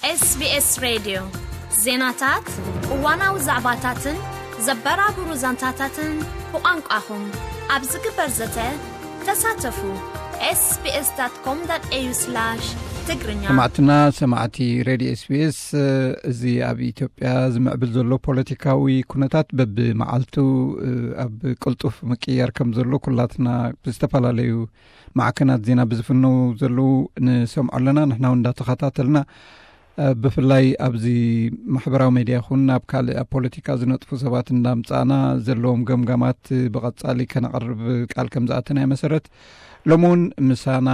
SBS ሬድዮ፣ ዜናታት፣ እዋናዊ ዛዕባታትን ዘበራብሩ ዛንታታትን ብቋንቋኹም ኣብ ዝግበር ዘተ ተሳተፉ። SBS.com.au/ትግርኛ። ሰማዕትና፣ ሰማዕቲ ሬድዮ SBS፣ እዚ ኣብ ኢትዮጵያ ዝምዕብል ዘሎ ፖለቲካዊ ኩነታት በብመዓልቱ ኣብ ቅልጡፍ ምቅያር ከም ዘሎ ኩላትና ብዝተፈላለዩ ማዕከናት ዜና ብዝፍነው ዘለዉ ንሰምዖ ኣለና። ንሕና እውን እንዳተኸታተልና፣ ብፍላይ ኣብዚ ማሕበራዊ ሜድያ ይኹን ኣብ ካልእ ኣብ ፖለቲካ ዝነጥፉ ሰባት እንዳምጻእና ዘለዎም ገምጋማት ብቐጻሊ ከነቕርብ ቃል ከም ዝኣተና እየ። መሰረት፣ ሎሚ እውን ምሳና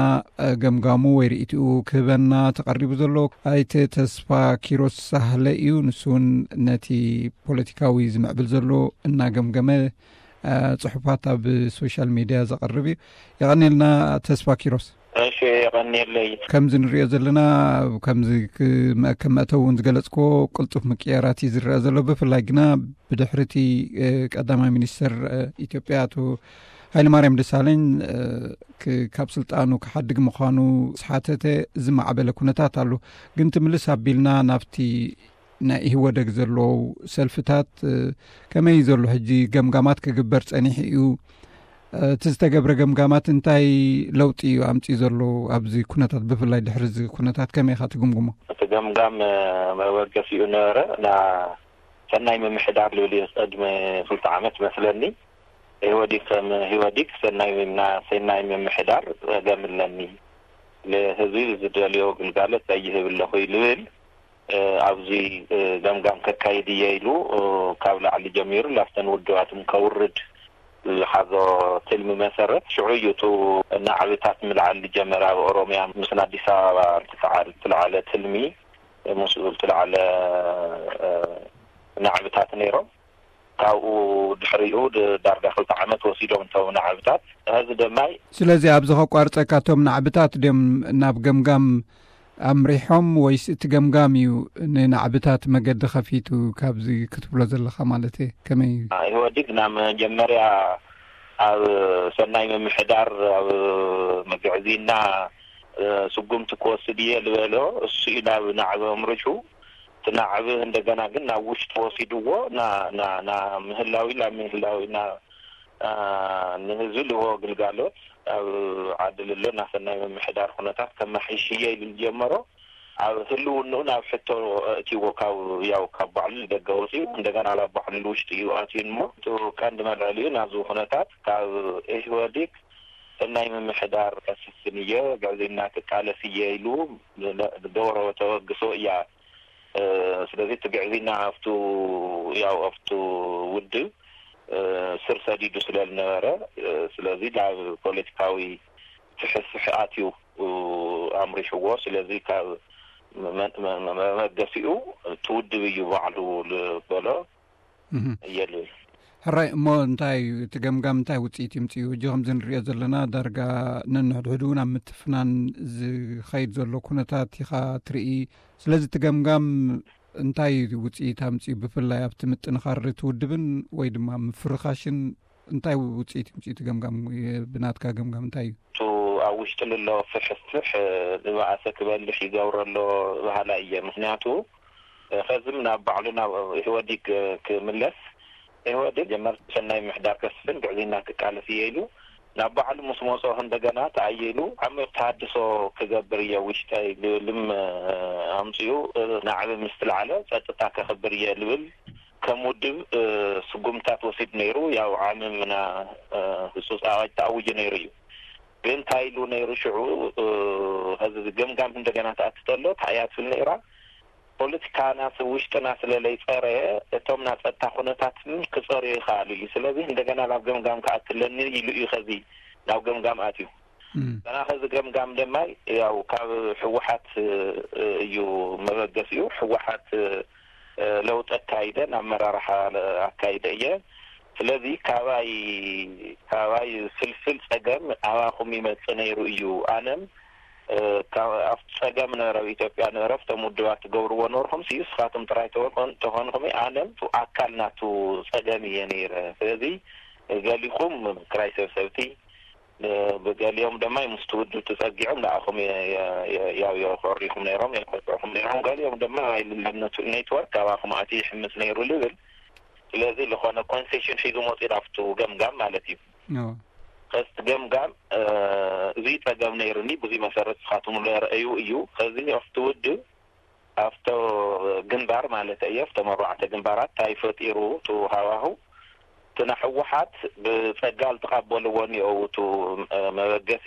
ገምጋሙ ወይ ርእይትኡ ክህበና ተቐሪቡ ዘሎ ኣይተ ተስፋ ኪሮስ ሳህለ እዩ። ንሱ እውን ነቲ ፖለቲካዊ ዝምዕብል ዘሎ እናገምገመ፣ እ፣ ጽሑፋት ኣብ ሶሻል ሜድያ ዘቕርብ እዩ። የቐንየልና ተስፋ ኪሮስ። እሺ፣ የቐንየለይ። ከምዚ ንሪኦ ዘለና፣ ከምዚ ክ-፣ መ-፣ ከም መእተዊ እውን ዝገለጽክዎ ቅልጡፍ ምቅያራት እዩ ዝረአ ዘሎ። ብፍላይ ግና ብድሕሪ እቲ፣ እ፣ ቀዳማይ ሚኒስትር፣ እ፣ ኢትዮጵያ ኣቶ ሃይለማርያም ደሳለኝ፣ እ፣ ክ-፣ ካብ ስልጣኑ ክሓድግ ምዃኑ ዝሓተተ ዝማዕበለ ኩነታት ኣሎ። ግን ትምልስ ኣቢልና ናብቲ ናይ ኢህወደግ ዘለዉ ሰልፍታት፣ እ፣ ከመይ እዩ ዘሎ? ሕጂ ገምጋማት ክግበር ጸኒሑ እዩ። እ፣ እቲ ዝተገብረ ገምጋማት እንታይ ለውጢ እዩ ኣምጺኡ ዘሎ ኣብዚ ኩነታት፣ ብፍላይ ድሕሪ እዚ ኩነታት ከመይ ኢኻ ትግምግሞ? እቲ ገምጋም፣ እ፣ መበገሲኡ ነበረ። ና-፣ ሰናይ ምምሕዳር ልብል እዩ። ቅድሚ ክልተ ዓመት መስለኒ፣ ኢህወዲግ ከም ኢህወዲግ ሰናይ ምምና-፣ ሰናይ ምምሕዳር ጸገም ኣለኒ፣ ንህዝቢ ዝደልዮ ግልጋሎት ኣይህብ ኣለኹ እዩ ልብል፣ እ፣ ኣብዚ፣ እ፣ ገምጋም ከካይድ እየ ኢሉ፣ እ፣ ካብ ላዕሊ ጀሚሩ ላብተን ውድባትን ከውርድ ዝሓዞ ትልሚ መሰረት፣ ሽዑ እዩ እቲ ናዕብታት ምልዓል ዝጀመረ። ኣብ ኦሮምያ ምስ ኣዲስ ኣበባ ዝተዓል-፣ ዝተልዓለ ትልሚ፣ ምስኡ ዝተልዓለ፣ እ፣ ናዕብታት ነይሮም። ካብኡ ድሕሪኡ ድ-፣ ዳርጋ ክልተ ዓመት ወሲዶም እቶም ናዕብታት። ሕዚ ደማይ ስለዚ ኣብዚ ከቋርጸካ፣ እቶም ናዕብታት ድዮም ናብ ገምጋም ኣምሪሖም ወይስ እቲ ገምጋም እዩ ንናዕብታት መገዲ ከፊቱ? ካብዚ ክትብሎ ዘለኻ ማለት እየ። ከመይ እዩ? ኢህወዲግ ናብ መጀመርያ ኣብ ሰናይ ምምሕዳር ኣብ መግዕዚና፣ እ፣ ስጉምቲ ክወስድ እየ ዝበሎ እሱ እዩ ናብ ናዕቢ ኣምሪሑ። እቲ ናዕቢ እንደገና ግን ናብ ውሽጢ ወሲድዎ ና-፣ ና-፣ ና ምህላዊ፣ ናብ ምህላዊ፣ ና-፣ አ፣ ንህዝቢ ልህቦ ግልጋሎት ኣብ ዓዲ ልሎ ናሰናይ ምምሕዳር ኩነታት ከመሓይሽ እየ ኢሉ ዝጀመሮ፣ ኣብ ህልውንኡ ናብ ሕቶ ኣእትይዎ፣ ካብ፣ ያው፣ ካብ ባዕሉ ንደገ ወፂኡ፣ እንደገና ናብ ባዕሉ ንውሽጢ እዩ ኣትዩ እሞ፣ እቲ ቀንዲ መልዕሊኡ ናብዚ ኩነታት ካብ ኢህወዲግ ሰናይ ምምሕዳር ከስፍን እየ፣ ግዕዝይና ክቃለስ እየ ኢሉ ለ-፣ ደወረወ ተበግሶ እያ። እ፣ ስለዚ እቲ ግዕዝይና ኣብቱ፣ ያው፣ ኣብቱ ውድብ፣ እ፣ ስር ሰዲዱ ስለ ዝነበረ፣ እ፣ ስለዚ ናብ ፖለቲካዊ ፍሕፍሕ ኣትዩ፣ እ፣ ኣምሪሕዎ። ስለዚ ካብ መ-፣ መ-፣ መ-፣ መበገሲኡ እቲ ውድብ እዩ ባዕሉ ዝበሎ እህ። እየ ልብል። ሕራይ፣ እሞ እንታይ እዩ እቲ ገምጋም፣ እንታይ ውጽኢት ይምጽኡ? ሕጂ ከምዚ ንሪኦ ዘለና ዳርጋ ነንሕድሕዱ እውን ኣብ ምትፍናን ዝኸይድ ዘሎ ኩነታት ኢኻ ትርኢ። ስለዚ እቲ ገምጋም እንታይ እዩ ውጽኢት ኣምጽኡ? ብፍላይ ኣብቲ ምጥንኻር እቲ ውድብን ወይ ድማ ምፍርኻሽን እንታይ ውጽኢት ይምጽኡ? እቲ ገምጋም፣ ብናትካ ገምጋም እንታይ እዩ? እቱ ኣብ ውሽጢ ልሎ ፍሕፍሕ ንባእሰ ክበልሕ ይገብሮ ኣሎ በሃላይ እየ። ምኽንያቱ፣ ኸዝም ናብ ባዕሉ ናብ ኢህወዲግ ክምለስ፣ ኢህወዲግ ጀመር ሰናይ ምሕዳር ከስፍን ግዕዝይና ክቃለስ እየ ኢሉ ናብ ባዕሉ ምስ መጾ፣ እንደገና ተኣይሉ ዓሚቕ ተሃድሶ ክገብር እየ ውሽጠይ ልብልም ኣምጽኡ፣ ናዕቢ ምስ ትለዓለ ጸጥታ ከኽብር እየ ልብል ከም ውድብ ስጉምታት ወሲድ ነይሩ። ያው ዓምምና ህጹጽ ኣዋጅ ተኣውጁ ነይሩ እዩ። ግን እንታይ ኢሉ ነይሩ ሽዑ፣ እ፣ ኸዚ ገምጋም እንደገና ትኣቲ ተሎ፣ እንታይ እያ ትብል ነይራ? ፖለቲካና ስ-፣ ውሽጥና ስለ ለይጸረየ፣ እቶም ናይ ጸጥታ ኩነታትን ክጸርዩ ይኽኣሉ እዩ። ስለዚ እንደገና ናብ ገምጋም ክኣትለኒ ኢሉ እዩ ኸዚ ናብ ገምጋም ኣትዩ። እም። ገና ኸዚ ገምጋም ደማይ ያው ካብ ህወሓት፣ እ፣ እዩ መበገሲኡ። ህወሓት፣ እ፣ ለውጢ ኣካይደ፣ ናብ መራርሓ ኣካይደ እየ። ስለዚ ካባይ፣ ካባይ ፍልፍል ጸገም ኣባኹም ይመጽእ ነይሩ እዩ። ኣነም፣ እ፣ ካብ፣ ኣብቲ ጸገም ነበረ፣ ኣብ ኢትዮጵያ ነበረ፣ ኣብቶም ውድባት ትገብርዎ ነበርኩም፣ ስዩ ንስኻትኩም ጥራይ ተኾን-፣ ተኾንኩም፣ ኣነም ኣካል ናቱ ጸገም እየ ነይረ። ስለዚ ገሊኹም ክራይ ሰብሰብቲ፣ ብገሊኦም ድማ ምስቲ ውድብ ተጸጊዖም ንኣኹም የ- የ- የ- ያው የኮሪኹም ነይሮም፣ የኮርዕኹም ነይሮም። ገሊኦም ድማ ኢሉ ናብ ነቱ- ኔትወርክ ካባኹም ኣቲ ይሕምስ ነይሩ ልብል። ስለዚ ዝኾነ ኮንሴሽን ሒዙ መፂኡ ናብቱ ገምጋም ማለት እዩ። ከስቲ ገምጋም እዚ ጸገም ነይርኒ፣ ብዙ መሰረት ስኻትምሉ ረአዩ እዩ። ከዚ ኣብቲ ውድብ ኣብቶ ግንባር ማለት እየ ኣብቶም ኣርባዕተ ግንባራት እንታይ ፈጢሩ እቲ ሃዋሁ? እቲ ንሕወሓት ብጸጋ ዝተቐበልዎ እኒኦ እቲ መበገሲ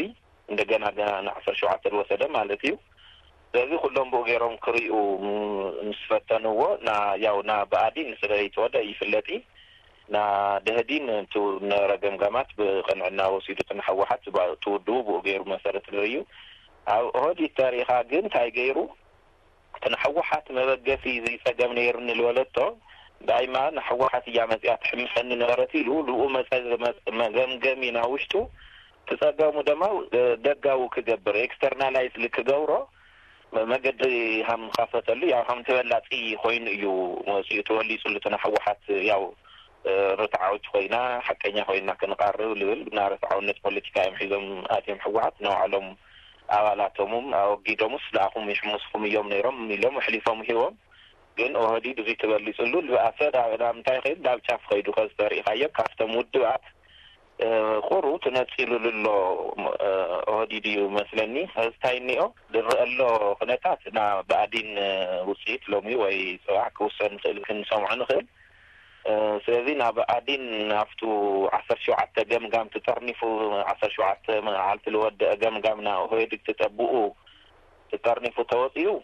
እንደገና ገና ንዓሰርተ ሸውዓተ ዝወሰደ ማለት እዩ። ስለዚ ኩሎም ብኡ ገይሮም ክሪኡ ምስ ፈተንዎ፣ ያው ና ብኣዲ ንስለ ይተወደ ይፍለጢ፣ ና ደህዲን እቲ ነበረ ገምጋማት ብቕንዕና ወሲዱ እቲ ንሕወሓት ትውድቡ ብኡ ገይሩ መሰረት ንርእዩ። ኣብ ኦህዲድ ተሪኻ ግን እንታይ ገይሩ? እቲ ንሕወሓት መበገሲ እዚ ጸገም ነይርኒ ዝበለቶ ዳይማ ንሕወሓት እያ መጽያ ትሕምሰኒ ነበረት ኢሉ ልኡ መጸ መገምገሚ ናብ ውሽጡ ትጸገሙ ድማ ደጋዊ ክገብር ኤክስተርናላይዝ ክገብሮ መገዲ ሃም ኻፈተሉ ያው ሃም ተበላጺ ኮይኑ እዩ መጽኡ ተወሊጹሉ እቲ ንሕወሓት ያው ርትዓዊት ኮይና ሓቀኛ ኮይና ክንቃርብ ልብል ና ርትዓውነት ፖለቲካ እዮም ሒዞም ኣትዮም ሕወሓት ንባዕሎም ኣባላቶምም ኣወጊዶምስ ንኣኹም ይሕምስኹም እዮም ነይሮም ኢሎም ኣሕሊፎም ሂቦም። ግን ኦህዲድ እዚ ተበሊፅሉ ልብኣሰ ናብ እንታይ ከይዱ ናብ ጫፍ ከይዱ ከዚ ተሪኢኻዮ ካብቶም ውድባት ቁሩ ትነፂሉ ልሎ ኦህዲድ እዩ መስለኒ። ከዚ እንታይ እኒኦ ዝረአ ኣሎ ኩነታት ና ብኣዲን ውፅኢት ሎሚ ወይ ፅባሕ ክውሰን ንኽእል ክንሰምዖ ንኽእል። ስለዚ ናብ ኣዲን ናብቱ ዓሰርተ ሸውዓተ ገምጋም ትጠርኒፉ ዓሰርተ ሸውዓተ መዓልቲ ዝወደአ ገምጋም ና ኦህዴግ ትጠብኡ ትጠርኒፉ ተወፂኡ።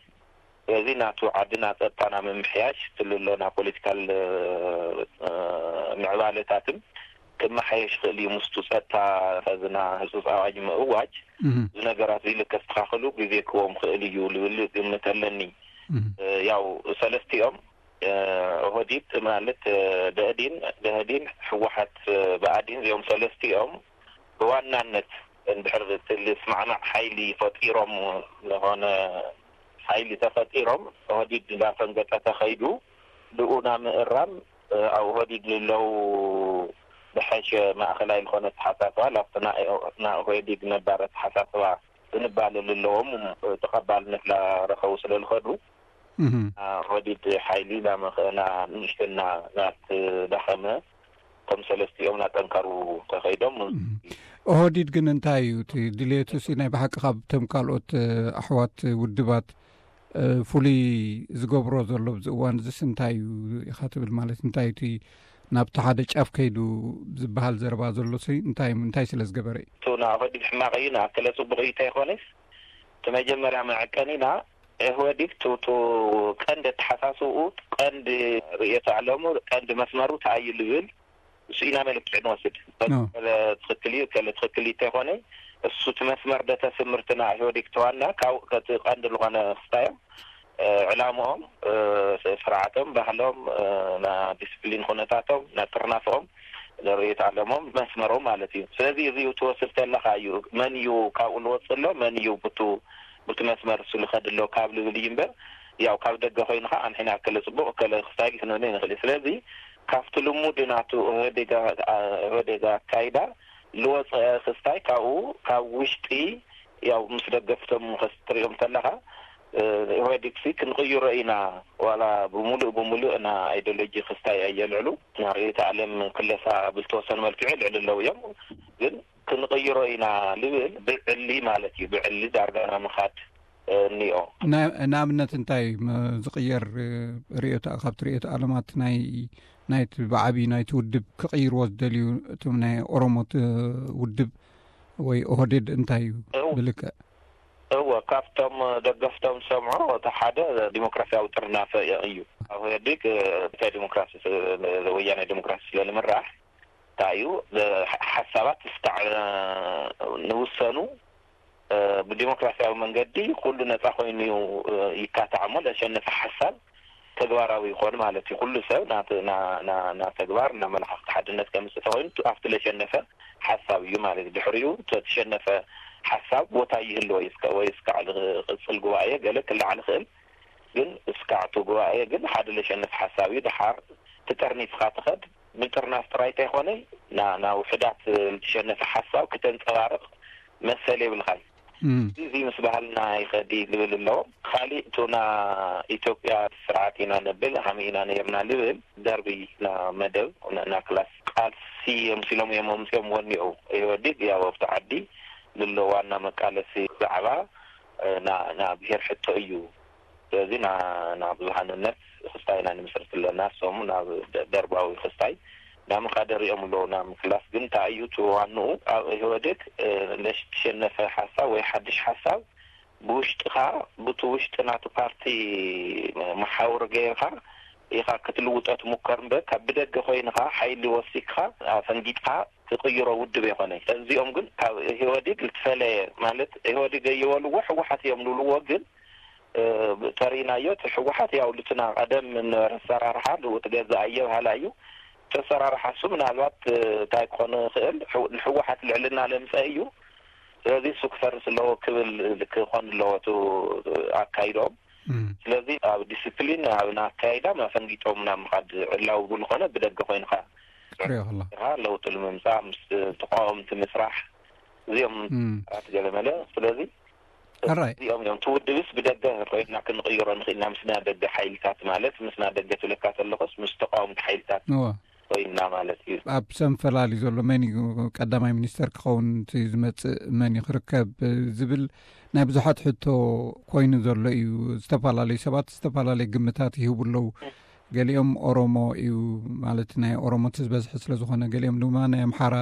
ስለዚ ናቱ ዓድና ፀጥታና ምምሕያሽ ትልሎ ና ፖለቲካል ምዕባለታትን ክመሓየሽ ይኽእል እዩ ምስቱ ፀጥታ ከዝና ህፁፅ ኣዋጅ ምእዋጅ እዚ ነገራት እዚ ልከስተኻኸሉ ግዜ ክዎም ክእል እዩ ልብል ግምት ኣለኒ። ያው ሰለስቲኦም ኦህዲድ ማለት ደህዲን ደህዲን ሕወሓት ብኣዲን እዚኦም ሰለስቲኦም ብዋናነት እንድሕር እቲ ልስማዕማዕ ሓይሊ ፈጢሮም ዝኾነ ሓይሊ ተፈጢሮም ኦህዲድ እንዳፈንገጠ ተኸይዱ ብኡ ና ምእራም ኣብ ኦህዲድ ልለው ብሐሸ ማእኸላይ ዝኾነ ተሓሳስባ ላብቲ ና ኦህዲድ ነባረ ተሓሳስባ ዝንባለ ልለዎም ተቐባልነት ላረኸቡ ስለ ዝኸዱ ኦህዲድ ሓይሊ ላመኸና ንእሽትና ናት ዳኸመ ከም ሰለስቲኦም ናጠንከሩ ተኸይዶም። ኦህዲድ ግን እንታይ እዩ እቲ ድሌቱ ሲ ናይ ብሓቂ ካብቶም ካልኦት ኣሕዋት ውድባት ፍሉይ ዝገብሮ ዘሎ ኣብዚ እዋን እዚስ እንታይ እዩ ኢኻ ትብል ማለት እንታይ እቲ ናብቲ ሓደ ጫፍ ከይዱ ዝበሃል ዘረባ ዘሎ ሲ እንታይ እንታይ ስለ ዝገበረ እዩ? እቱ ንኦህዲድ ሕማቕ እዩ ንኣከለ ፅቡቕ እዩ እንታይ ይኾነስ እቲ መጀመርያ መዐቀኒና ኢህወዲግ ቱ ቀንዲ ኣተሓሳስብኡ ቀንዲ ርእየተ ኣለሙ ቀንዲ መስመሩ ተኣዩ ልብል እሱ ኢና መለክዒ ንወስድ። ትኽክል እዩ ከለ ትኽክል እዩ እንተይኮነ እሱ እቲ መስመር ደተ ስምርትና ኢህወዴግ ተዋና ካብ ከቲ ቀንዲ ዝኾነ ክስታዮም ዕላምኦም ስርዓቶም ባህሎም ና ዲስፕሊን ኩነታቶም ና ጥርናፍኦም ንርእየት ኣለሞም መስመሮም ማለት እዩ። ስለዚ እዚ ትወስድ ተለካ እዩ መን እዩ ካብኡ ልወፅእ ኣሎ መን እዩ ብቱ ብቲ መስመር እሱ ልኸድ ኣሎ ካብ ልብል እዩ እምበር ያው ካብ ደገ ኮይኑ ከዓ ኣንሒና ከለ ፅቡቅ ከለ ክስታይል ክንብል ንኽእል። ስለዚ ካብቲ ልሙድ ናቱ ኢህወዴግ ኣካይዳ ልወፀ ክስታይ ካብኡ ካብ ውሽጢ ያው ምስ ደገፍቶም ክትሪኦም ተለኻ ኢህወዴግ ሲ ክንቕይሮ ኢና ዋላ ብምሉእ ብምሉእ ና ኣይዲዮሎጂ ክስታይ ኣየልዕሉ ና ርእዮተ ዓለም ክለሳ ብዝተወሰነ መልክዑ የልዕሉ ኣለዉ እዮም ግን ክንቕይሮ ኢና ልብል ብዕሊ ማለት እዩ። ብዕሊ ዳርጋ ና ምኻድ እኒኦ። ንኣብነት እንታይ ዝቕየር ርእዮታ ካብቲ ርእዮተ ዓለማት ናይ ናይቲ ብዓብዪ ናይቲ ውድብ ክቕይርዎ ዝደልዩ እቶም ናይ ኦሮሞ ውድብ ወይ ኦህዴድ እንታይ እዩ ብልክዕ? እወ ካብቶም ደገፍቶም ዝሰምዖ እቲ ሓደ ዲሞክራሲያዊ ጥርናፈ እዩ። ኣብ ኢህወዴግ እንታይ ዲሞክራሲ ወያናይ ዲሞክራሲ ስለ ንምራሕ እንታይ እዩ ሓሳባት እስካዕ ንውሰኑ ብዲሞክራሲያዊ መንገዲ ኩሉ ነፃ ኮይኑ ይካታዕ እሞ ለሸነፈ ሓሳብ ተግባራዊ ይኾን ማለት እዩ። ኩሉ ሰብ ና ተግባር ና መላኻኽቲ ሓድነት ከምፅእ ተኮይኑ ኣብቲ ለሸነፈ ሓሳብ እዩ ማለት እዩ። ድሕሪኡ ተሸነፈ ሓሳብ ቦታ ይህልዎ ወይ እስካዕ ዝቅፅል ጉባኤ ገለ ክላዓል ይኽእል ግን እስካዕ እቲ ጉባኤ ግን ሓደ ለሸነፍ ሓሳብ እዩ። ድሓር ትጠርኒፍኻ ትኸድ ምጥርናፍ ጥራይ እንተይኮነ፣ ና ናብ ውሕዳት ዝተሸነፈ ሓሳብ ክተንጸባርቕ መሰል የብልኻይ። እዚ ምስ ባህልና ይኸዲ ልብል ኣለዎ። ካሊእ እቱና ኢትዮጵያ ስርዓት ኢና ነብል ሃመ ኢና ነርና ልብል ደርቢ ና መደብ ና ክላስ ቃልሲ የምሲሎም እዮም ኣምፅኦም ወኒኡ ኢህወዲግ ያው ኣብቲ ዓዲ ልሎ ዋና መቃለሲ ዛዕባ ና ብሄር ሕቶ እዩ። ስለዚ ናብ ብዙሃንነት ክስታይ ኢና ንምስርት ኣለና። እሶም ናብ ደርባዊ ክስታይ ናብ ምካደር እዮም ኣለዉ ናብ ምክላስ ግን እንታይ እዩ እቲ ዋንኡ ኣብ ኢህወዴግ ለሽትሸነፈ ሓሳብ ወይ ሓድሽ ሓሳብ ብውሽጥኻ ብቲ ውሽጢ ናቲ ፓርቲ መሓውር ገይርካ ኢኻ ክትልውጦ ትሙከር እምበር ካብ ብደገ ኮይንኻ ሓይሊ ወሲክኻ ኣፈንጊጥካ ትቕይሮ ውድብ የኾነ። እዚኦም ግን ካብ ኢህወዲግ ልትፈለየ ማለት ኢህወዲግ እየበልዎ ሕወሓት እዮም ልብልዎ ግን ተሪናዮ እቲ ሕወሓት ያው ልትና ቀደም ነበረ ኣሰራርሓ ልውጥ ገዛ ኣየ በሃላ እዩ። ተሰራርሓ እሱ ምናልባት እንታይ ክኾን ይኽእል ንሕወሓት ልዕልና ለምፀ እዩ። ስለዚ እሱ ክፈርስ ኣለዎ ክብል ክኾን ኣለዎ እቲ ኣካይዶም። ስለዚ ኣብ ዲስፕሊን ኣብ ኣካይዳ ኣፈንጊጦም ናብ ምኻድ ዕላዊ ብልኾነ ብደገ ኮይንካ ለውጢ ንምምፃእ ምስ ተቃወምቲ ምስራሕ እዚኦም ኣራት ገለመለ ስለዚ እዚኦም እዮም ትውድብስ ብደገ ኮይና ክንቕይሮ ንኽእልና ምስና ደገ ሓይልታት ማለት ምስና ደገ ትብለካ ተለኹስ ምስ ተቃወምቲ ሓይልታት ኮይንና ማለት እዩ። ኣብ ሰንፈላል እዩ ዘሎ መን እዩ ቀዳማይ ሚኒስተር ክኸውን እቲ ዝመፅእ መን እዩ ክርከብ ዝብል ናይ ብዙሓት ሕቶ ኮይኑ ዘሎ እዩ። ዝተፈላለዩ ሰባት ዝተፈላለዩ ግምታት ይህቡ ኣለዉ። ገሊኦም ኦሮሞ እዩ ማለት ናይ ኦሮሞቲ ዝበዝሐ ስለ ዝኾነ ገሊኦም ድማ ናይ ኣምሓራ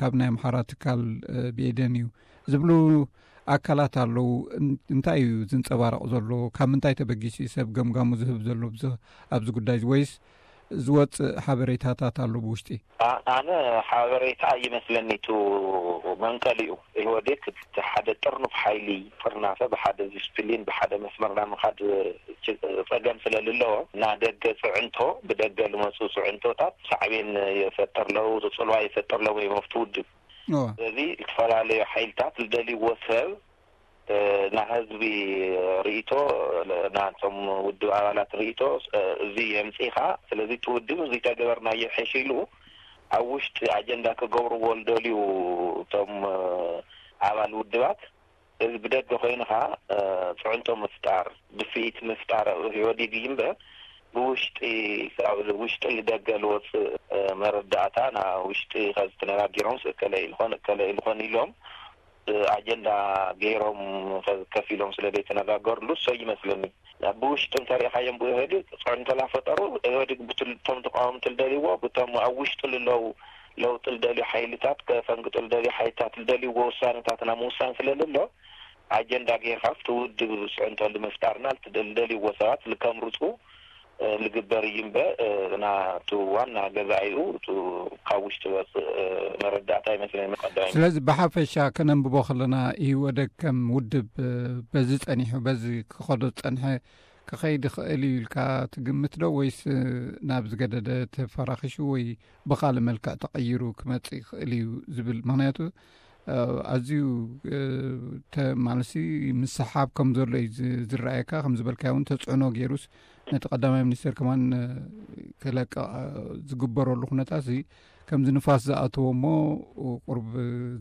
ካብ ናይ ኣምሓራ ትካል ብኤደን እዩ ዝብሉ ኣካላት ኣለዉ። እንታይ እዩ ዝንፀባረቕ ዘሎ? ካብ ምንታይ ተበጊሱ እዩ ሰብ ገምጋሙ ዝህብ ዘሎ ኣብዚ ጉዳይ እዚ? ወይስ ዝወፅእ ሓበሬታታት ኣሎ ብውሽጢ? ኣነ ሓበሬታ ይመስለኒ ቱ መንቀሊኡ ኢህወዴግ እቲ ሓደ ጥርኑፍ ሓይሊ ጥርናፈ ብሓደ ዲስፕሊን ብሓደ መስመር ናብ ምኻድ ፀገም ስለ ልለዎ እና ደገ ፅዕንቶ ብደገ ልመፁ ፅዕንቶታት ሳዕቤን የፈጥር ለው ፅልዋ የፈጥር ለው እዮም ኣብቲ ውድብ። ስለዚ ዝተፈላለዩ ሓይልታት ዝደልይዎ ሰብ ናህዝቢ ርእቶ ናቶም ውድብ ኣባላት ርእቶ እዚ የምፅኢኻ። ስለዚ እቲ ውድብ እዚ ተገበርናዮ ሐሽ ኢሉ ኣብ ውሽጢ ኣጀንዳ ክገብርዎ ዝደልዩ እቶም ኣባል ውድባት እዚ ብደገ ኮይንኻ ፅዕንቶ ምፍጣር ድፍኢት ምፍጣር ኢህወዲግ እዩ እምበር ብውሽጢ ውሽጢ ልደገ ልወፅእ መረዳእታ ና ውሽጢ ከዚ ተነጋጊሮም እከለ ኢልኾን እከለ ኢልኾን ኢሎም ኣጀንዳ ገይሮም ከፊሎም ስለ ዘይተነጋገርሉ እሶ ይመስለኒ። ብውሽጢ እንተሪእኻዮም ብኢህወዲግ ፅዕንቶ ላፈጠሩ ኢህወዲግ ብቶም ተቃወምቲ ልደልይዎ ብቶም ኣብ ውሽጢ ልለው ለውጢ ልደልዩ ሓይልታት ከፈንግጡ ልደልዩ ሓይልታት ልደልይዎ ውሳነታት ናብ ምውሳን ስለ ልሎ ኣጀንዳ ገይርካ ኣብቲ ውድብ ፅዕንቶ ልምፍጣርና ልደልይዎ ሰባት ልከምርፁ ልግበር እዩ እምበር ናቱ ዋና ገዛኢኡ ካብ ውሽጢ ወፅእ መረዳእታ ይመስለኒ ቀዳሚ። ስለዚ ብሓፈሻ ከነንብቦ ከለና ኢህወደግ ከም ውድብ በዚ ፀኒሑ በዚ ክኸዶ ዝፀንሐ ክኸይድ ይኽእል እዩ ኢልካ ትግምት ዶ ወይስ ናብ ዝገደደ ተፈራኺሹ ወይ ብኻልእ መልክዕ ተቐይሩ ክመፅእ ይኽእል እዩ ዝብል? ምኽንያቱ ኣዝዩ ማለትሲ ምስሓብ ከም ዘሎ እዩ ዝረኣየካ። ከም ዝበልካዮ እውን ተፅዕኖ ገይሩስ ነቲ ቀዳማይ ሚኒስተር ከማን ክለቅቕ ዝግበረሉ ኩነታት እዚ ከምዚ ንፋስ ዝኣተዎ እሞ ቁርብ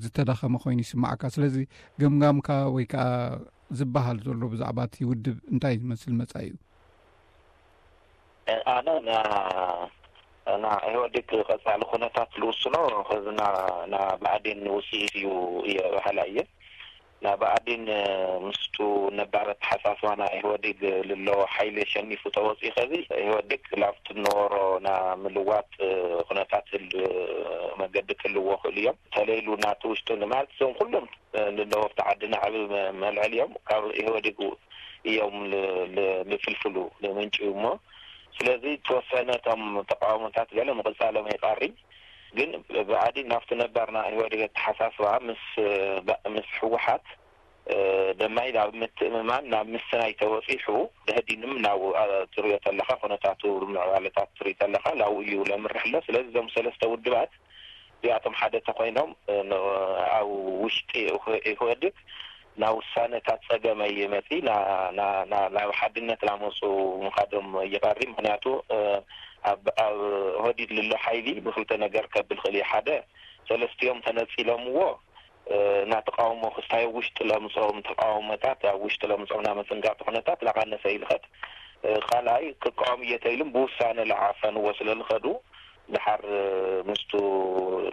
ዝተዳኸመ ኮይኑ ይስማዓካ። ስለዚ ገምጋምካ ወይ ከዓ ዝበሃል ዘሎ ብዛዕባ እቲ ውድብ እንታይ ዝመስል መፃኢኡ? ኣነ ና ኢህወዴግ ቀፃሊ ኩነታት ልውስኖ ከዚ ና ብኣዴን ውፅኢት እዩ እየ በሃላ እየ። ና ብኣዴን ምስቱ ነባር ኣተሓሳስባ ና ኢህወዴግ ልሎ ሓይሊ ሸኒፉ ተወፂኡ ከዚ ኢህወዴግ ላብቲ ነበሮ ና ምልዋጥ ኩነታት መገዲ ክልዎ ክእሉ እዮም። ተለይሉ ናቲ ውሽጡ ንማለት እዞም ኩሎም ንነበርቲ ዓዲ ናዕቢ መልዕል እዮም ካብ ኢህወዴግ እዮም ልፍልፍሉ ንምንጭ እዩ እሞ ስለዚ ተወሰነ እቶም ተቃውሞታት ገለ ምቕፃሎም የጣሪ ግን ብኣዲ ናብቲ ነባርና ኢህወዴግ ኣተሓሳስባ ምስ ምስ ህወሓት ደማይ ናብ ምትእምማን ናብ ምስናይ ተወፂሑ ደህዲንም ናብ ትሪኦ ተለካ ኩነታቱ ምዕባለታት ትሪኢ ተለካ ናብኡ እዩ ለምርሕ ኣሎ ስለዚ እዞም ሰለስተ ውድባት እዚኣቶም ሓደ ተኮይኖም ኣብ ውሽጢ ኢህወዴግ ናብ ውሳነታት ጸገም ኣይመጺ ናብ ሓድነት ላመፁ ምኻዶም ይቐሪ። ምክንያቱ ኣብ ኦህዴድ ልሎ ሓይሊ ብክልተ ነገር ከብል ክእል እዩ። ሓደ፣ ሰለስቲኦም ተነፂሎምዎ ናብ ተቃውሞ ክስታይ ውሽጢ ለምፅኦም ተቃውሞታት ኣብ ውሽጢ ለምፅኦም ናብ መፅንጋዕቲ ኩነታት ላቀነሰ ይልኸድ። ካልኣይ፣ ክቃወም እየ ተኢሉም ብውሳነ ላዓፈንዎ ስለልኸዱ ድሓር ምስቱ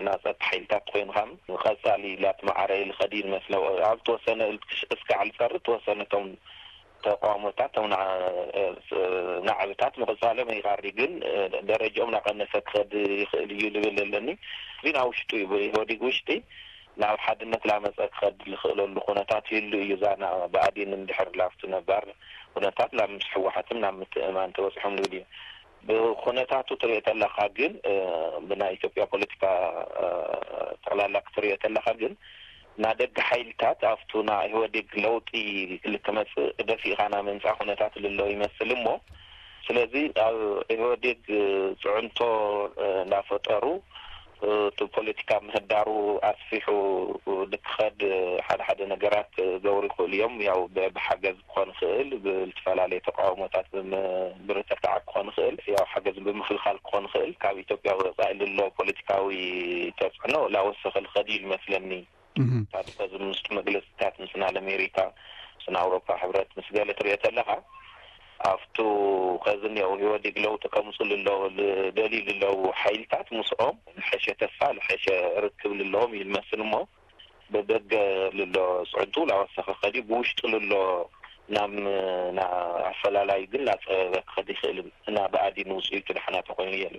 ናፀት ሓይልታት ኮይንካም ቀፃሊ ላትመዓረ ይልኸድ ይመስለ። ኣብ ተወሰነ እስካዕ ልፀሪ ተወሰነቶም ተቃውሞታት ቶም ናዕብታት ምቕፃሎም ይቃሪ ግን ደረጃኦም ናቀነሰ ክኸድ ይኽእል እዩ ልብል ኣለኒ። እዚ ናብ ውሽጡ እዩ ብኢህወዴግ ውሽጢ ናብ ሓድነት ላመፀ ክኸድ ዝኽእለሉ ኩነታት ይህሉ እዩ። እዛ ብኣዴን እንድሕር ላፍቲ ነባር ኩነታት ናብ ምስ ሕወሓትም ናብ ምትእማን ተበፅሖም ልብል እዩ። ብኩነታቱ ትሪኦ ተለካ ግን ብናይ ኢትዮጵያ ፖለቲካ ጠቕላላ ክትሪኦ ተለካ ግን ናደገ ሓይልታት ኣብቱ ና ኢህወዴግ ለውጢ ልክመፅእ ደፊእካ ና ምንፃ ኩነታት ልሎ ይመስል እሞ ስለዚ ኣብ ኢህወዴግ ፅዕንቶ እንዳፈጠሩ እቲ ፖለቲካ ምህዳሩ ኣስፊሑ ንክኸድ ሓደ ሓደ ነገራት ክገብሩ ይኽእሉ እዮም። ያው ብሓገዝ ክኾን ይኽእል፣ ብዝተፈላለየ ተቃውሞታት ብምብርትታዕ ክኾን ይኽእል፣ ያው ሓገዝ ብምክልኻል ክኾን ይኽእል። ካብ ኢትዮጵያ ወፃኢ ልሎ ፖለቲካዊ ተፅዕኖ ላወሰኸ ልኸድ እዩ ዝመስለኒ። ታሪኸ ዝምስጡ መግለፅታት ምስ ናል ኣሜሪካ፣ ምስ ኣውሮፓ ሕብረት፣ ምስ ገለ ትሪኦ ተለኻ ኣብቱ ከዚ እኒኦ ኢህወዴግ ለውጢ ከምፁ ልለው ደልዩ ልለው ሓይልታት ምስኦም ልሐሸ ተስፋ ልሐሸ ርክብ ልለዎም እዩ ዝመስል እሞ ብደገ ልሎ ፅዕንቱ ላወሰኸ ከዲ ብውሽጡ ልሎ ናብ ኣፈላላይ ግን ላፀበበ ክኸድ ይኽእል እና ብኣዲ ንውፅኢቱ ድሓና ተኮይኑ የሉ።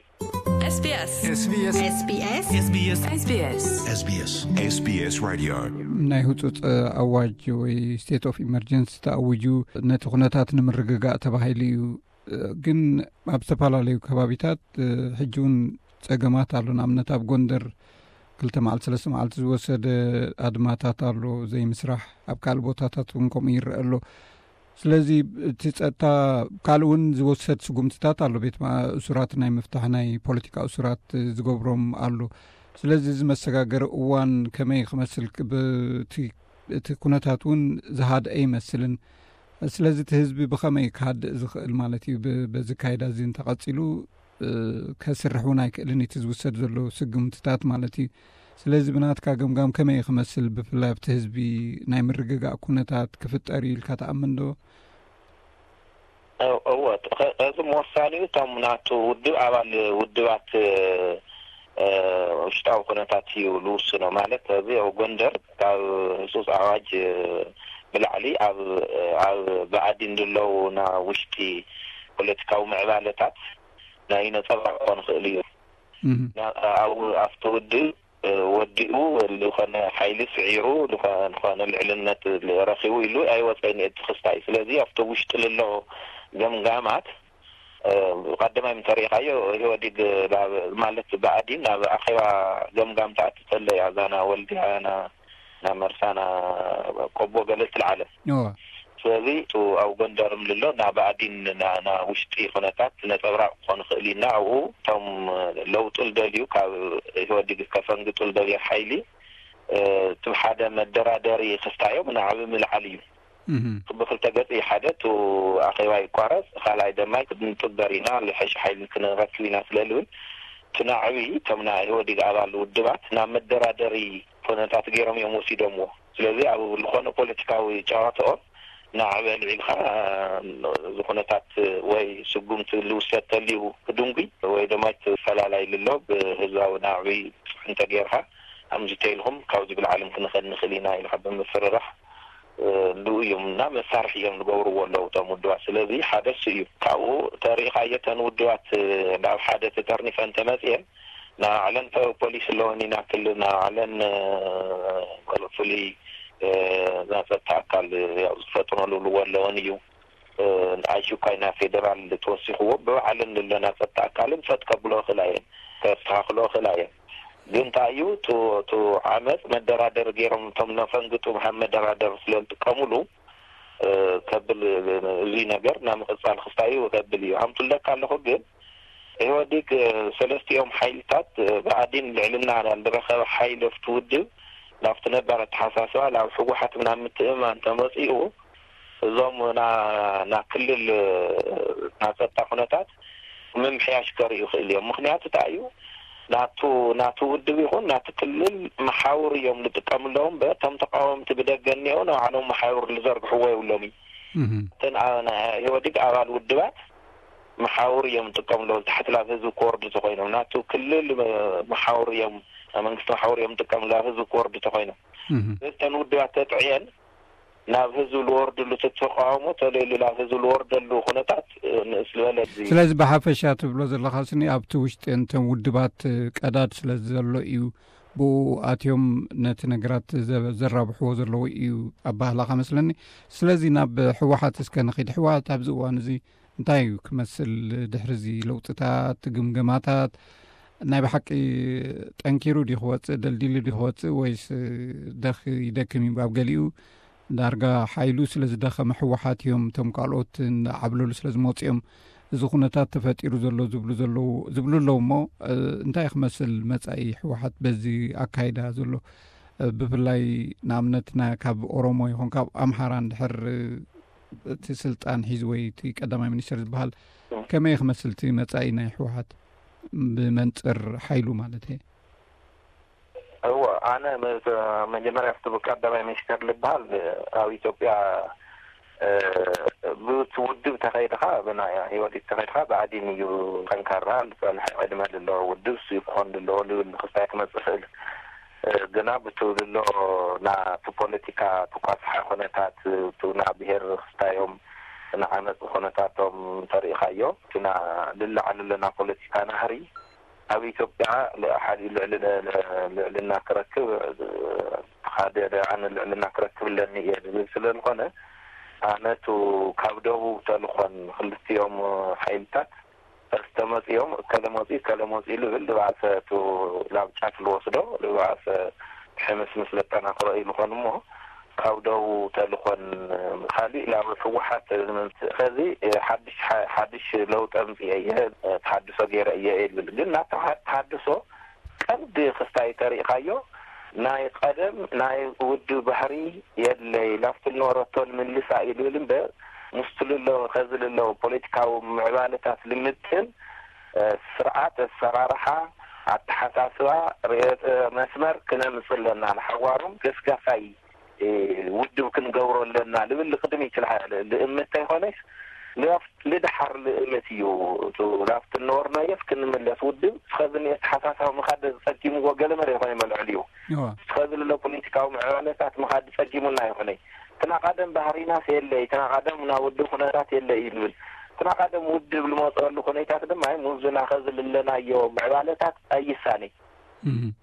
SBS SBS SBS SBS SBS SBS SBS Radio ናይ ህፁፅ ኣዋጅ ወይ ስቴት ኦፍ ኢመርጀንሲ ተኣዊጁ ነቲ ኩነታት ንምርግጋእ ተባሂሉ እዩ። ግን ኣብ ዝተፈላለዩ ከባቢታት ሕጂ እውን ፀገማት ኣሎ። ንኣብነት ኣብ ጎንደር ክልተ መዓልቲ ሰለስተ መዓልቲ ዝወሰደ ኣድማታት ኣሎ ዘይምስራሕ። ኣብ ካልእ ቦታታት እውን ከምኡ ይረአ ኣሎ። ስለዚ እቲ ጸጥታ ካልእ እውን ዝወሰድ ስጉምትታት ኣሎ። ቤት እሱራት ናይ ምፍታሕ ናይ ፖለቲካ እሱራት ዝገብሮም ኣሎ። ስለዚ እዚ መሰጋገሪ እዋን ከመይ ክመስል እቲ ኩነታት እውን ዝሃድአ ይመስልን። ስለዚ እቲ ህዝቢ ብኸመይ ክሃድእ ዝኽእል ማለት እዩ? በዚ ካይዳ እዚ እንተቐጺሉ ከስርሕ እውን ኣይክእልን እቲ ዝውሰድ ዘሎ ስግምትታት ማለት እዩ። ስለዚ ብናትካ ገምጋም ከመይ ክመስል ብፍላይ ኣብቲ ህዝቢ ናይ ምርግጋእ ኩነታት ክፍጠር እዩ ኢልካ ትኣምን ዶ? እወ፣ እዚ መወሳኒኡ እቶም ናቱ ውድብ ኣባል ውድባት ውሽጣዊ ኩነታት እዩ ልውስኖ። ማለት እዚ ኣብ ጎንደር ካብ ህፁፅ ኣዋጅ ብላዕሊ ኣብ ብኣዲን ዝለዉ ና ውሽጢ ፖለቲካዊ ምዕባለታት ናይ ነፀብራቕ ክኾን ይኽእል እዩ። ኣብኡ ኣብቲ ውድብ ወዲኡ ዝኾነ ሓይሊ ስዒሩ ዝኾነ ልዕልነት ረኺቡ ኢሉ ኣይወፀን እቲ ክስታይ። ስለዚ ኣብቲ ውሽጢ ልሎ ገምጋማት ቀደማይ ምተሪኢኻዮ ኢህወዲግ ማለት ብኣዲን ናብ ኣኼባ ገምጋም ተኣቲ ተሎ እያ እዛ ና ወልድያ ና መርሳና ቆቦ ገለ ትልዓለ። ስለዚ ቱ ኣብ ጎንደርም ልሎ ናብ ኣዲን ና ውሽጢ ኩነታት ነፀብራቅ ክኾን ይኽእል ኢና። ኣብኡ እቶም ለውጡ ልደልዩ ካብ ኢህወዲግ ከፈንግጡ ልደልዩ ሓይሊ ትብ ሓደ መደራደሪ ክስታዮም ንዓብ ምልዓል እዩ። ብክልተ ገፂ ሓደ ቱ ኣኼባ ይቋረፅ፣ ካልኣይ ደማይ ክንጥበር ኢና፣ ልሐሽ ሓይሊ ክንረክብ ኢና ስለልብል ትናዕቢ እቶም ናይ ኢህወዲግ ኣባል ውድባት ናብ መደራደሪ ኩነታት ገይሮም እዮም ወሲዶምዎ። ስለዚ ኣብ ዝኾነ ፖለቲካዊ ጨዋታኦም ናዕቢ ኣልዒልካ እዚ ኩነታት ወይ ስጉምቲ ልውሰድ ተልዩ ክድንጉ ወይ ድማ ፈላላይ ልሎ ብህዝባዊ ናዕቢ እንተገይርካ ኣምዚ ተይልኩም ካብዚ ብልዓልም ክንኸድ ንኽእል ኢና ኢልካ ብምፍርራሕ ልኡ እዮም እና መሳርሒ እዮም ዝገብርዎ ኣለዉ እቶም ውድባት። ስለዚ ሓደ እሱ እዩ። ካብኡ ተሪኢኻዮ እተን ውድባት ናብ ሓደ ተጠርኒፈን ተመፅየን ንባዕለን ፖሊስ ኣለወን ኢና ክልል ንባዕለን ፍሉይ ናይ ፀጥታ ኣካል ዝፈጥኖ ልብልዎ ኣለወን እዩ። ኣሹካይ ናይ ፌደራል ተወሲኽዎ ብባዕለን ንለና ፀጥታ ኣካልን ፈጥ ከብሎ ክእላ እየን፣ ከስተኻኽሎ ክእላ እየን። ግን እንታይ እዩ እቲ ዓመፅ መደራደር ገይሮም እቶም ነፈንግጡ ሃብ መደራደር ስለዝጥቀሙሉ ከብል እዚ ነገር ናብ ምቕፃል ክስታይ እዩ ከብል እዩ ሃምቱለካ ኣለኹ። ግን ኢህወዲግ ሰለስቲኦም ሓይልታት ብኣዲን ልዕልና ዝረኸበ ሓይሊ ኣብቲ ውድብ ናብቲ ነባር ኣተሓሳስባ ናብ ህወሓት ናብ ምትእምማን ተመፂኡ እዞም ና ናብ ክልል ና ጸጥታ ኩነታት ምምሕያሽ ከርእዩ ይኽእል እዮም። ምኽንያቱ እንታይ እዩ? ናቱ ናቱ ውድብ ይኹን ናቲ ክልል መሓውር እዮም ዝጥቀምሎም። በ እቶም ተቃወምቲ ብደገ እኒአው ንባዕሎም መሓውር ዝዘርግሕዎ የብሎም እዩ። እተን ኣ- ናይ ኢህወዴግ ኣባል ውድባት መሓውር እዮም ዝጥቀምሎም። ታሕቲ ናብ ህዝቢ ክወርዱ ተኮይኖም ናቱ ክልል መ- መሓውር እዮም፣ ናይ መንግስቲ መሓውር እዮም ዝጥቀምሎም ናብ ህዝቢ ክወርዱ ተኮይኖም። እተን ውድባት ተጥዕየን ናብ ህዝቢ ዝወርድሉ፣ እቲ ተቃውሞ ተለይሉ ናብ ህዝቢ ዝወርደሉ ኩነታት ንእስ ዝበለ እዚ። ስለዚ ብሓፈሻ ትብሎ ዘለኻ ስኒ ኣብቲ ውሽጢ እንተን ውድባት ቀዳድ ስለ ዘሎ እዩ ብኡ ኣትዮም ነቲ ነገራት ዘ- ዘራብሕዎ ዘለዉ እዩ ኣባህላኻ መስለኒ። ስለዚ ናብ ህወሓት እስከ ንኺድ። ህወሓት ኣብዚ እዋን እዚ እንታይ እዩ ክመስል? ድሕሪ እዚ ለውጥታት፣ ግምገማታት ናይ ብሓቂ ጠንኪሩ ድዩ ክወፅእ፣ ደልዲሉ ድዩ ክወፅእ፣ ወይስ ደኽ ይደክም እዩ? ኣብ ገሊኡ ዳርጋ ሓይሉ ስለ ዝደኸመ ህወሓት እዮም እቶም ካልኦት እናዓብለሉ ስለ ዝመፁ እዮም እዚ ኩነታት ተፈጢሩ ዘሎ ዝብሉ ዘለዉ ዝብሉ ኣለዉ እሞ እንታይ ክመስል መፃኢ ህወሓት በዚ ኣካይዳ ዘሎ? ብፍላይ ንኣብነት ና- ካብ ኦሮሞ ይኹን ካብ ኣምሓራ እንድሕር እቲ ስልጣን ሒዙ ወይ እቲ ቀዳማይ ሚኒስትር ዝበሃል ከመይ ክመስል እቲ መፃኢ ናይ ህወሓት ብመንፅር ሓይሉ ማለት እየ? እዎ ኣነ መጀመርያ ፍቲ ቀዳማይ ሚኒስተር ዝበሃል ኣብ ኢትዮጵያ ብቲ ውድብ ተኸይድኻ ብናይ ህወዴግ ተኸይድኻ ብኣዴን እዩ ጠንካራ ዝፀንሐ ዕድመ ዘለዎ ውድብ እሱ እዩ ክኾን ዘለዎ ዝብል ክስታይ ክመፅእ ይኽእል። ግና ብቲ ዝሎ ናቲ ፖለቲካ ትኳስሓ ኩነታት ና ብሄር ክስታዮም ንዓመፅ ኩነታቶም ተሪኢኻዮ እቲ ና ልላዓል ኣለና ፖለቲካ ናህሪ ኣብ ኢትዮጵያ ሓደ ልዕልና ክረክብ ሓደ ኣነ ልዕልና ክረክብ ኣለኒ እየ ዝብል ስለ ዝኾነ ኣነቱ ካብ ደቡብ ተልኾን ክልቲኦም ሓይልታት ዝተመፅኦም እከለ መፂኡ እከለ መፂኡ ዝብል ዝባእሰ ቱ ናብ ጫፍ ዝወስዶ ዝባእሰ ሕምስምስ ዘጠናኽሮ እዩ ዝኾን እሞ ካብ ደቡብ ተልኾን ካሊእ ናብ ህወሓት ዝመፅእ ከዚ ሓድሽ ሓድሽ ለውጢ ኣምፅኤ እየ ተሃድሶ ገይረ እየ እየ ዝብል ግን ናተውሓት ተሃድሶ ቀንዲ ክስታይ ተሪእኻዮ ናይ ቀደም ናይ ውድብ ባህሪ የለይ ላፍቲ ዝነበረቶ ንምልሳ እዩ ዝብል እምበር ምስቲ ልሎ ከዚ ልሎ ፖለቲካዊ ምዕባለታት ልምጥን ስርዓት ኣሰራርሓ ኣተሓሳስባ ርእዮተ መስመር ክነምፅ ኣለና ንሓዋሩም ገስጋሳይ ውድብ ክንገብሮ ኣለና ልብል ቅድሚት ልእምት ተይኮነስ ልደሓር ልእምት እዩ። ላፍቲ ነበርናዮስ ክንምለስ ውድብ እስኸዚ ኣተሓሳስባ ምኻድ ጸጊምዎ ገለ መለ ይኾነ መልዕል እዩ። እስኸዚ ልሎ ፖለቲካዊ ምዕባለታት ምኻድ ጸጊሙና ይኾነ ትናቃደም ባህሪናስ የለይ ትናቃደም ና ውድብ ኩነታት የለይ እዩ ልብል ትናቃደም ውድብ ልመፀሉ ኩነታት ድማ ሙዝና ኸዚ ልለናዮ ምዕባለታት ኣይሳኔ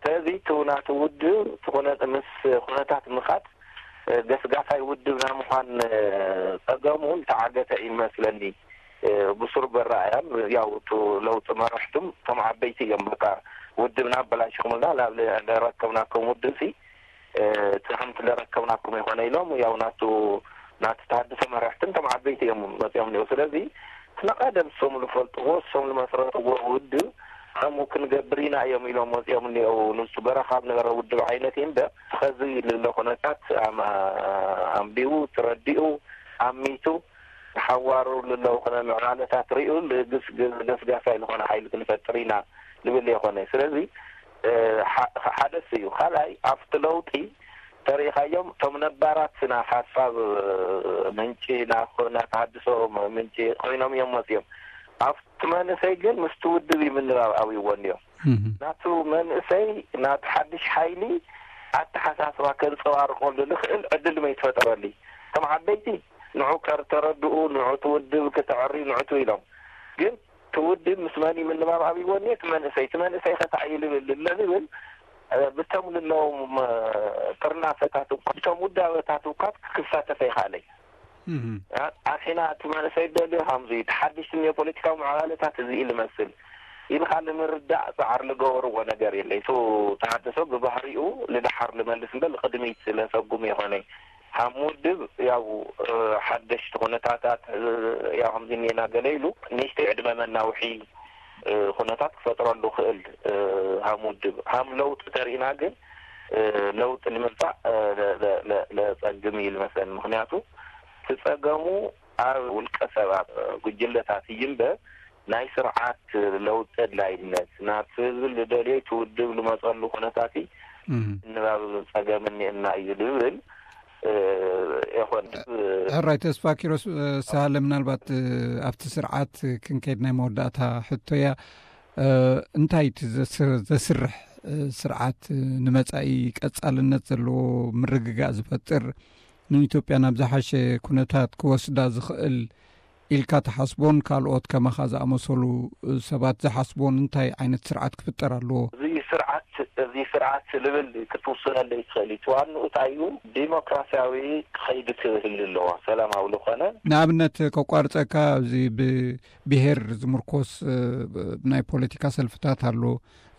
ስለዚ እቲ ናቲ ውድብ ምስ ኩነታት ምኻድ ገስጋሳይ ውድብ ናይ ምዃን ጸገሙ ዝተዓገተ እዩ መስለኒ። ብሱር በራእያን ያው እቲ ለውጢ መራሕቱም እቶም ዓበይቲ እዮም በቃ ውድብና ኣበላሽኹምልና ናብ ለረከብናኩም ውድብ ሲ እቲ ከምቲ ለረከብናኩም ይኾነ ኢሎም ያው ናቱ ናቲ ተሃድሶ መራሕትን እቶም ዓበይቲ እዮም መፅኦም ኒው ስለዚ እቲ ናቃደም እሶም ዝፈልጥዎ እሶም ዝመስረትዎ ውድብ ከምኡ ክንገብር ኢና እዮም ኢሎም ወፂኦም እኒአው ንሱ በረኻ ኣብ ነበረ ውድብ ዓይነት እዩ እምበር ኸዚ ልለ ኩነታት ኣንቢቡ ተረዲኡ ኣሚቱ ሓዋሩ ልለው ኩነ ምዕባለታት ሪኡ ልግስግስ ገስጋሳይ ዝኾነ ሓይሊ ክንፈጥር ኢና ልብል የኾነ ስለዚ ሓደ እሱ እዩ ካልኣይ ኣብቲ ለውጢ ተሪኢኻዮም እቶም ነባራት ናይ ሓሳብ ምንጪ ናይ ተሃድሶ ምንጪ ኮይኖም እዮም መፅዮም ኣብቲ መንእሰይ ግን ምስቲ ውድብ እዩ ምንባብ ኣብይዎ እንድዮም ናቱ መንእሰይ ናቲ ሓድሽ ሓይሊ ኣተሓሳስባ ከንፀባርቀሉ ዝኽእል ዕድል መይትፈጠረሉ እቶም ዓበይቲ ንዑ ከርተረድኡ ንዑ ትውድብ ክተዕሪ ንዑ ትው ኢሎም ግን ትውድብ ምስ መን እዩ ምንባብ ኣብይዎ እኒኦ እቲ መንእሰይ እቲ መንእሰይ ከታዕ እዩ ልብል ልለ ዝብል ብቶም ልለዎም ጥርናፈታት እኳ ብቶም ውዳበታት እኳ ክሳተፈ ይኽኣለይ ኣኺና እቲ መንእሰይ ደልዮ ከምዚ እቲ ሓድሽ ትንዮ ፖለቲካዊ ምዕባለታት እዚ ኢሉ መስል ኢልካ ንምርዳእ ፃዕር ልገበርዎ ነገር የለ እቲ ተሃድሶ ብባህሪኡ ልዳሓር ልመልስ እምበር ልቅድሚት ስለሰጉም የኾነ ሃም ውድብ ያው ሓደሽቲ ኩነታታት ያው ከምዚ እኒና ገለ ኢሉ ንእሽተይ ዕድመ መናውሒ ኩነታት ክፈጥረሉ ክእል ሃም ውድብ ሃም ለውጢ ተሪእና ግን ለውጢ ንምምፃእ ለፀግም እዩ ዝመስለኒ። ምክንያቱ እቲ ፀገሙ ኣብ ውልቀ ሰባት፣ ጉጅለታት እዩ እምበር ናይ ስርዓት ለውጢ ኣድላይነት፣ ናብቲ ህዝቢ ዝደልዮ እቲ ውድብ ዝመፀሉ ኩነታት ምንባብ ፀገም እኒኤና እዩ ዝብል ይኾን። ሕራይ ተስፋ ኪሮስ ሳህለ፣ ምናልባት ኣብቲ ስርዓት ክንከይድ ናይ መወዳእታ ሕቶያ። እንታይ እቲ ዘስርሕ ስርዓት ንመጻኢ ቀጻልነት ዘለዎ ምርግጋእ ዝፈጥር፣ ንኢትዮጵያ ናብ ዝሓሸ ኩነታት ክወስዳ ዝኽእል ኢልካ ትሓስቦን ካልኦት ከማኻ ዝኣመሰሉ ሰባት ዝሓስቦን እንታይ ዓይነት ስርዓት ክፍጠር ኣለዎ? እዚ ስርዓት እዚ ስርዓት ልብል ክትውስነለይ ትኽእል እዩ። ዋንኡ እንታይ እዩ? ዲሞክራሲያዊ ክኸይድ ክህል ኣለዎ፣ ሰላማዊ ዝኾነ። ንኣብነት ከቋርፀካ፣ ኣብዚ ብብሄር ዝምርኮስ ናይ ፖለቲካ ሰልፍታት ኣሎ።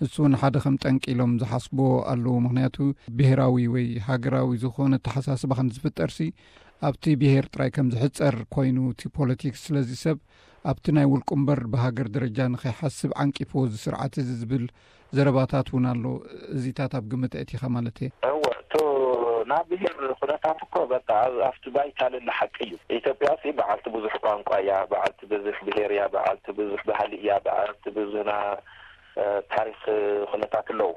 እሱ እውን ሓደ ከም ጠንቂ ኢሎም ዝሓስቦ ኣለዉ። ምክንያቱ ብሄራዊ ወይ ሃገራዊ ዝኾነ ኣተሓሳስባ ከም ዝፍጠርሲ ኣብቲ ብሄር ጥራይ ከም ዝሕፀር ኮይኑ እቲ ፖለቲክስ። ስለዚ ሰብ ኣብቲ ናይ ውልቁ እምበር ብሃገር ደረጃ ንኸይሓስብ ዓንቂፍዎ እዚ ስርዓት እዚ ዝብል ዘረባታት እውን ኣሎ። እዚታት ኣብ ግምት ኣእቲኻ ማለት እየ። እወ፣ እቶ ናብ ብሄር ኩነታት እኮ በቃ ኣብ- ኣብቲ ባይታ ለለ ሓቂ እዩ። ኢትዮጵያ ሲ በዓልቲ ብዙሕ ቋንቋ እያ፣ በዓልቲ ብዙሕ ብሄር እያ፣ በዓልቲ ብዙሕ ባህሊ እያ፣ በዓልቲ ብዙሕ ና ታሪክ ኩነታት ኣለዉ።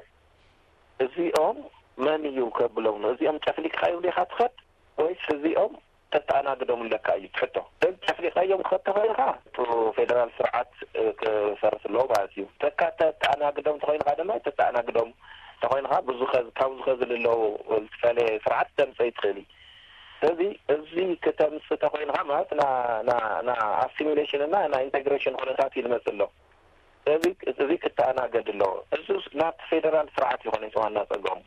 እዚኦም መን እዩ ከብሎም ነው? እዚኦም ጨፍሊቅካ ይብሉ ኢኻ ትኸድ ወይስ እዚኦም ተተኣናግዶም ኣለካ እዩ ትሕቶ። ግን ጨፍሊቃዮም ክኸድ ተኾይንኻ እቲ ፌደራል ስርዓት ክፈርስ ኣለዎ ማለት እዩ። ተካ ተተኣናግዶም ተኾይንኻ ድማ ተተኣናግዶም ተኾይንኻ ብዙ ካብ ዝኸዚ ልለው ዝተፈለየ ስርዓት ተምፀ ይትኽእል እዩ። ስለዚ እዚ ክተምፅ ተኾይንኻ ማለት ና ኣሲሚሌሽን እና ና ኢንቴግሬሽን ኩነታት እዩ ዝመፅእ ኣሎ። እዚ ክተኣናገድ ኣለዎ። እዚ ናብቲ ፌደራል ስርዓት ይኾነ ዋና ፀገሙ።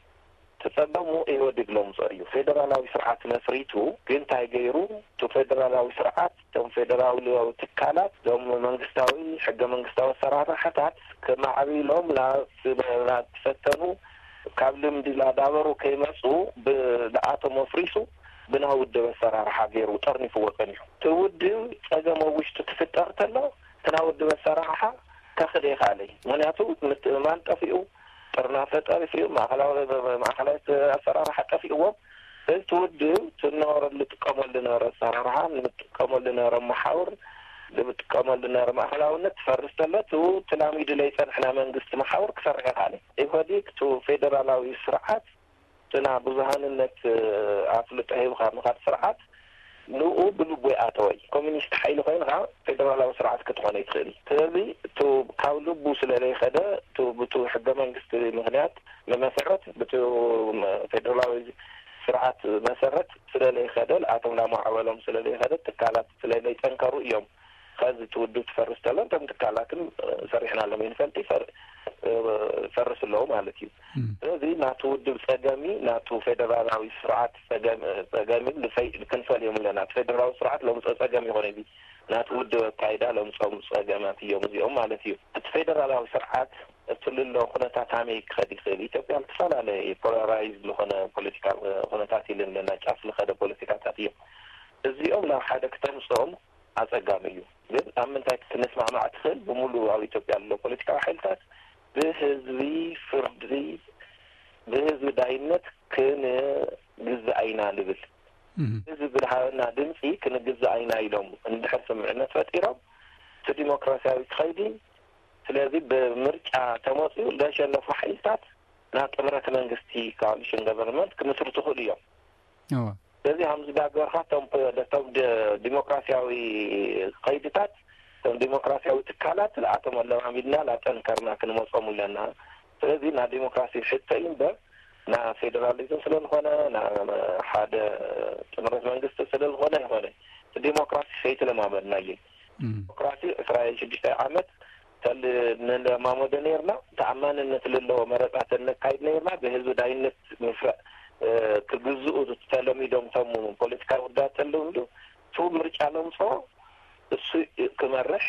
ተፀገሙ ኢህወዴግ ለምፅኦ እዩ። ፌደራላዊ ስርዓት መስሪቱ ግን እንታይ ገይሩ? እቲ ፌደራላዊ ስርዓት፣ እቶም ፌደራላዊ ትካላት፣ እቶም መንግስታዊ ሕገ መንግስታዊ ኣሰራርሓታት ከማዕብሎም ናብ ናብ ዝፈተኑ ካብ ልምዲ ላዳበሩ ከይመፁ ብኣቶም ኣፍሪሱ ብናይ ውድብ ኣሰራርሓ ገይሩ ጠርኒፍዎ ፀኒሑ። እቲ ውድብ ፀገም ኣብ ውሽጡ ትፍጠር ተሎ እቲ ናይ ውድብ ኣሰራርሓ ከኽደ ይኽኣለይ። ምክንያቱ ምትእማን ጠፊኡ፣ ጥርናፈ ጠፊኡ፣ ማእኸላዊ ማእኸላዊ ኣሰራርሓ ጠፊእዎም። እዚ ውድብ ትነበረሉ ጥቀመሉ ነበረ ኣሰራርሓ ንጥቀመሉ ነበረ መሓውር ንጥቀመሉ ነበረ ማእኸላውነት ትፈርስ ተሎ ቱ ተላሚዱ ለይፀንሕና መንግስቲ መሓውር ክሰርሕ ይኽኣለ። ኢህወዴግ ቱ ፌደራላዊ ስርዓት ትና ብዙሃንነት ኣፍልጦ ሂብካ ምኻድ ስርዓት ንኡ ብልቡ ይኣተወይ። ኮሚኒስት ሓይሊ ኮይንካ ፌደራላዊ ስርዓት ክትኾነ ይትኽእል። ስለዚ ቱ ካብ ልቡ ስለለይኸደ ቱ ብቱ ሕገ መንግስቲ ምክንያት መመሰረት ብቱ ፌደራላዊ ስርዓት መሰረት ስለለይኸደ ኣቶም ላማዕበሎም ስለለይኸደ ትካላት ስለለይጠንከሩ እዮም። ከዚ እቲ ውድብ ትፈርስ ተሎ እቶም ትካላትን ሰሪሕናሎም ይንፈልጥ ይፈርስ ኣለዉ ማለት እዩ። ስለዚ ናቱ ውድብ ፀገሚ ናቱ ፌደራላዊ ስርዓት ፀገሚ ክንፈልዮም ኣለና። ፌደራላዊ ስርዓት ለምፅኦ ፀገም ይኮነ እዚ ናቱ ውድብ ኣካይዳ ለምፅኦም ፀገማት እዮም እዚኦም ማለት እዩ። እቲ ፌደራላዊ ስርዓት እቲ ልሎ ኩነታት ሃመይ ክኸድ ይኽእል? ኢትዮጵያ ዝተፈላለየ ፖላራይዝ ዝኾነ ፖለቲካ ኩነታት ኢለን ኣለና። ጫፍ ዝኸደ ፖለቲካታት እዮም። እዚኦም ናብ ሓደ ክተምፅኦም ኣፀጋሚ እዩ። ግን ኣብ ምንታይ ክትንስማዕማዕ ትኽእል? ብሙሉ ኣብ ኢትዮጵያ ዘሎ ፖለቲካዊ ሓይልታት ብህዝቢ ፍርዲ ብህዝቢ ዳይነት ክንግዛእ ኢና ንብል። ህዝቢ ብዝሃበና ድምፂ ክንግዛእ ኢና ኢሎም እንድሕር ስምዕነት ፈጢሮም እቲ ዲሞክራሲያዊ ክኸይዲ። ስለዚ ብምርጫ ተመፅኡ ዘሸነፉ ሓይልታት ናብ ጥምረት መንግስቲ ኮኣሊሽን ገቨርንመንት ክምስርቱ ይኽእሉ እዮም። ስለዚ ከምዚ ዳገርካ ቶም ዲሞክራሲያዊ ከይድታት እቶም ዲሞክራሲያዊ ትካላት ንኣቶም ኣለማሚድና ላጠንከርና ክንመፆም ኣለና። ስለዚ ና ዲሞክራሲ ሕቶ እዩ እምበር ና ፌደራሊዝም ስለዝኾነ ና ሓደ ጥምረት መንግስቲ ስለዝኾነ ይኾነ ዲሞክራሲ ከይተለማመድናየ ዲሞክራሲ ዕስራ ሽዱሽተ ዓመት ንለማመዶ ነርና። ተኣማንነት ለለዎ መረፃት ነካይድ ነርና። ብህዝቢ ዳይነት ምስራእ ክግዝኡ ተለሚዶም ቶም ፖለቲካዊ ውዳት ተለምዱ ቱ ምርጫ ለምፅኦ እሱ ክመርሕ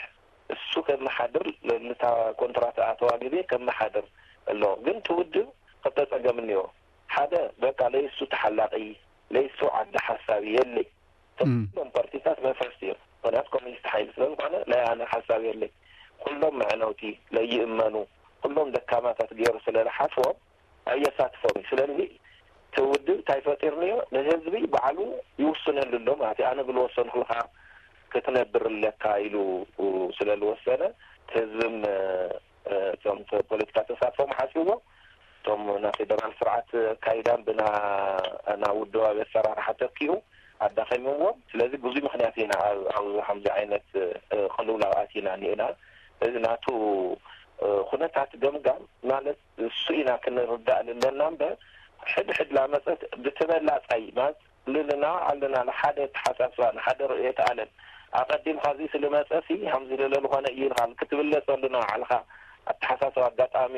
እሱ ከመሓድር ንታ ኮንትራት ኣተዋ ግዜ ከመሓድር ኣለዎ። ግን ትውድብ ክልተ ፀገም እኒኦ። ሓደ በቃ ለይሱ ተሓላቂ ለይሱ ዓዲ ሓሳቢ የለይ። ኩሎም ፓርቲታት መፍረስቲ እዮም። ምክንያቱ ኮሚኒስት ሓይሊ ስለዝኮነ ናይ ኣነ ሓሳብ የለይ። ኩሎም መዕነውቲ ለይእመኑ ኩሎም ደካማታት ገይሩ ስለዝሓስቦም ኣየሳትፎም እዩ። ስለዚ እቲ ውድብ እንታይ ፈጢርንዮ? ንህዝቢ ባዕሉ ይውስነሉ ኣሎ ማለት እዩ። ኣነ ብልወሰንኩልካ ክትነብር ኣለካ ኢሉ ስለ ዝወሰነ፣ ህዝብም እቶም ፖለቲካ ተሳትፎም ሓስዎ፣ እቶም ናይ ፌደራል ስርዓት ኣካይዳን ብና ናብ ውድባዊ ኣሰራርሓ ተኪኡ ኣዳኸምዎም። ስለዚ ብዙ ምክንያት ኢና ኣብ ከምዚ ዓይነት ቅልውላው ኣቲና እኒኤና። እዚ ናቱ ኩነታት ገምጋም ማለት እሱ ኢና ክንርዳእ ኣለና እምበር፣ ሕድ ሕድ ላመፀት ብተበላፃይ ማለት ልልና ኣለና ንሓደ ተሓሳስባ ንሓደ ርእየት ኣለም ኣቐዲም ካብዚ ስልመፀ ሲ ከምዚ ልለ ዝኾነ እዩ ኢልካ ክትብለፀሉ ንባዕልካ ኣተሓሳስባ ኣጋጣሚ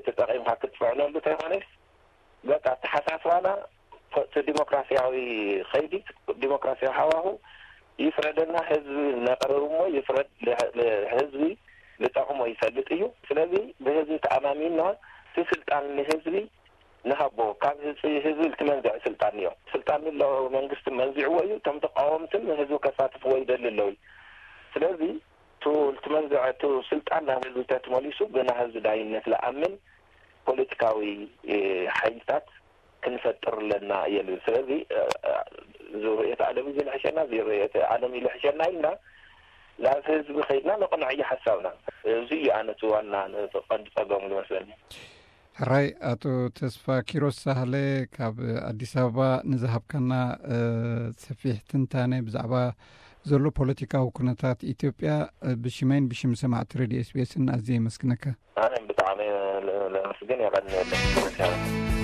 ተጠቂምካ ክትፅዕነሉ ተይኮነስ በቃ ኣተሓሳስባና እቲ ዲሞክራሲያዊ ከይዲ ዲሞክራሲያዊ ሃዋሁ ይፍረደና። ህዝቢ ነቅርብ እሞ ይፍረድ። ህዝቢ ዝጠቅሞ ይፈልጥ እዩ። ስለዚ ብህዝቢ ተኣማሚና እቲ ስልጣን ንህዝቢ ንሃቦ። ካብ ህዝቢ ህዝቢ ልትመንዝዕ ስልጣን እዮ። ስልጣን ኣሎ መንግስቲ መንዚዕዎ እዩ። እቶም ተቃወምትን ህዝቢ ከሳትፍዎ ይደሊ ኣለዉ። ስለዚ እቲ ልትመንዝዕ እቲ ስልጣን ናብ ህዝቢ ተትመሊሱ ብና ህዝቢ ዳይነት ለኣምን ፖለቲካዊ ሓይልታት ክንፈጥር ኣለና እየ ልብል። ስለዚ እዚ ርእየት ዓለም እዚ ልሕሸና እዚ ርእየት ዓለም ይልሕሸና ኢልና ናብ ህዝቢ ከይድና ነቕንዐዮ ሓሳብና። እዚ እዩ ኣነ እቲ ዋና ቀንዲ ጸገሙ ዝመስለኒ። ሕራይ ኣቶ ተስፋ ኪሮስ ሳህለ ካብ ኣዲስ ኣበባ ንዝሃብካና ሰፊሕ ትንታነ ብዛዕባ ዘሎ ፖለቲካዊ ኩነታት ኢትዮጵያ ብሽመይን ብሽም ሰማዕቲ ሬድዮ ኤስቢኤስን ኣዝየ የመስግነካ። ኣነ ብጣዕሚ ለመስግን የቐንየለን።